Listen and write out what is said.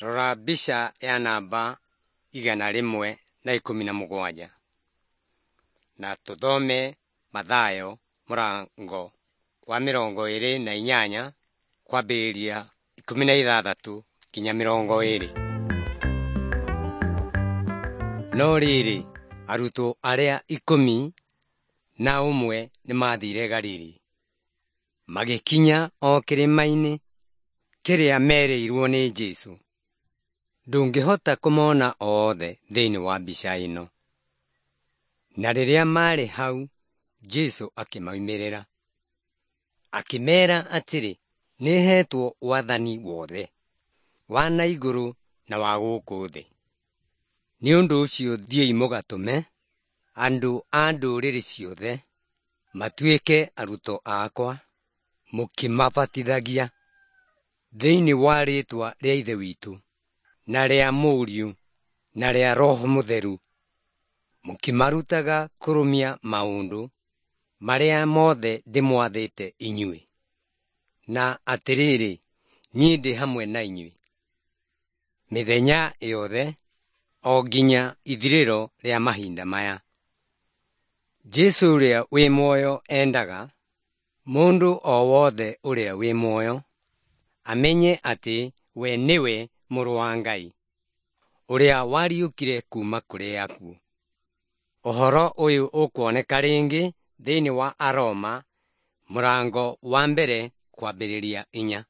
Rora mbica ya namba 117 na tũthome Mathayo mũrango wa 28 kwambĩrĩria 16 nginya 20. No rĩrĩ, arutwo arĩa 11 nĩmathire Galili, magĩkinya o kĩrĩma-inĩ kĩrĩa merĩirwo nĩ Jesũ. Ndũngĩhota kũmona othe thĩinĩ wa mbica ĩno. Na rĩrĩa maarĩ hau, Jesũ akĩmoimĩrĩra. Akĩmeera atĩrĩ, “Nĩheetwo wathani wothe, wa na igũrũ na wa gũkũ thĩ. Nĩ ũndũ ũcio thiĩi mũgatũme andũ a ndũrĩrĩ ciothe matuĩke arutwo akwa, mũkĩmabatithagia thĩinĩ wa rĩĩtwa rĩa Ithe witũ, na rĩa Mũriũ, na rĩa Roho Mũtheru, mũkĩmarutaga kũrũmia maũndũ marĩa mothe ndĩmwathĩte inyuĩ. Na atĩrĩrĩ, niĩ ndĩ hamwe na inyuĩ mĩthenya yothe, o nginya ithirĩro rĩa mahinda maya.” Jesũ ũrĩa wĩ muoyo endaga mũndũ o wothe ũrĩa wĩ muoyo amenye atĩ we nĩwe Mũrũ wa Ngai, ũrĩa wariũkire kuuma kũrĩ akuũ. Ũhoro ũyũ ũkuoneka rĩngĩ thĩinĩ wa Aroma mũrango wa 1 kwambĩrĩria 4.